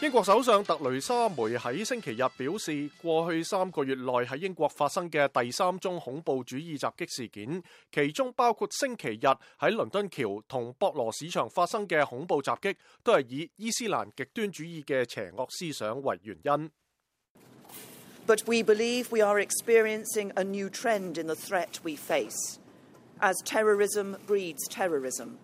英國首相特雷莎梅喺星期日表示，過去3個月內喺英國發生嘅第3宗恐怖主義襲擊事件，其中包括星期日喺倫敦橋同博羅市場發生嘅恐怖襲擊，都係以伊斯蘭極端主義嘅邪惡思想為原因。But we believe we are experiencing a new trend in the threat we face, as terrorism breeds terrorism.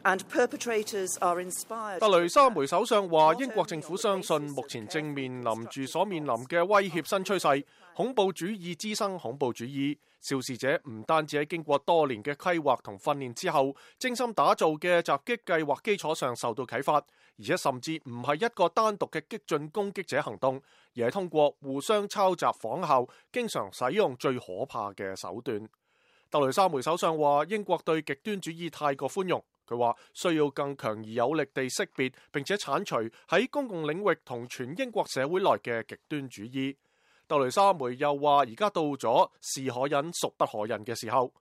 And perpetrators are inspired. 特雷莎梅首相話，英國政府相信目前正面臨住所面臨嘅威脅新趨勢，恐怖主義滋生恐怖主義。肇事者唔單止喺經過多年嘅規劃同訓練之後，精心打造嘅襲擊計劃基礎上受到啟發，而且甚至唔係一個單獨嘅激進攻擊者行動，而係通過互相抄襲仿效，經常使用最可怕嘅手段。特雷莎梅首相話，英國對極端主義太過寬容。佢話需要更強而有力地識別並且剷除喺公共領域同全英國社會內嘅極端主義。特雷莎梅又話，而家到咗是可忍孰不可忍嘅時候。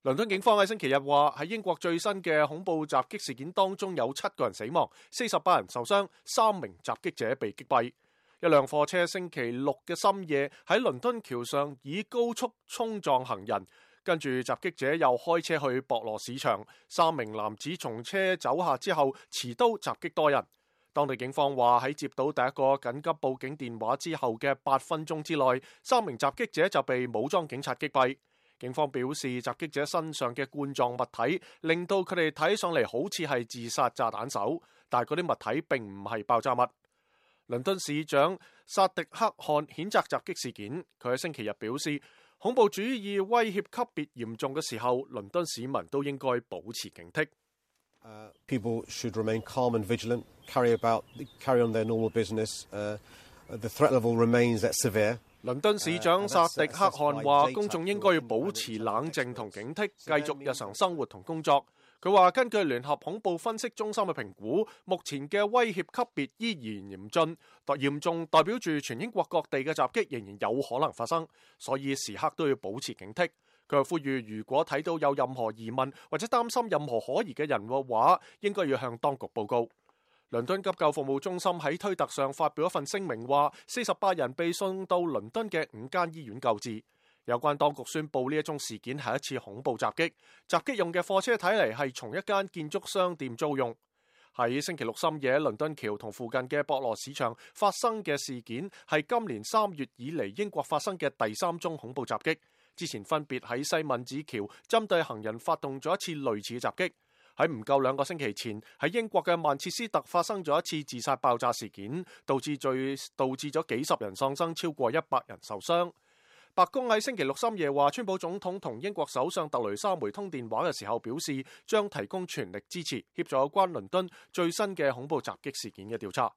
倫敦警方喺星期日話，喺英國最新嘅恐怖襲擊事件當中有7個人死亡，48人受傷，3名襲擊者被擊斃。一輛貨車星期六嘅深夜喺倫敦橋上以高速衝撞行人。跟住襲擊者又開車去博羅市場，3名男子從車走下之後持刀襲擊多人。當地警方話，喺接到第一個緊急報警電話之後嘅8分鐘之內，3名襲擊者就被武裝警察擊斃。警方表示，襲擊者身上嘅冠狀物體令到佢哋睇上嚟好似係自殺炸彈手，但係嗰啲物體並唔係爆炸物。倫敦市長薩迪克汗譴責襲擊事件，佢喺星期日表示，恐怖主義威脅級別嚴重嘅時候，倫敦市民都應該保持警惕。People should remain calm and vigilant, carry on their normal business. The threat level remains that severe. 倫敦市長薩迪克汗話，公眾應該要保持冷靜同警惕，繼續日常生活同工作。佢話，根據聯合恐怖分析中心嘅評估，目前嘅威脅級別依然嚴重代表住全英國各地嘅襲擊仍然有可能發生，所以時刻都要保持警惕。佢又呼籲，如果睇到有任何疑問或者擔心任何可疑嘅人嘅話，應該要向當局報告。倫敦急救服務中心喺推特上發表一份聲明，話48人被送到倫敦嘅5間醫院救治。有關當局宣布呢一宗事件係一次恐怖襲擊，襲擊用嘅貨車睇嚟係從一間建築商店租用。喺星期六深夜，倫敦橋同附近嘅博羅市場發生嘅事件係今年3月以嚟英國發生嘅第3宗恐怖襲擊。之前分別喺西敏寺橋針對行人發動咗一次類似嘅襲擊。喺唔夠2個星期前，喺英國嘅曼徹斯特發生咗一次自殺爆炸事件，導致咗幾十人喪生，超過100人受傷。白宮喺星期六深夜話，川普總統同英國首相特雷莎梅通電話嘅時候表示，將提供全力支持協助有關倫敦最新嘅恐怖襲擊事件嘅調查。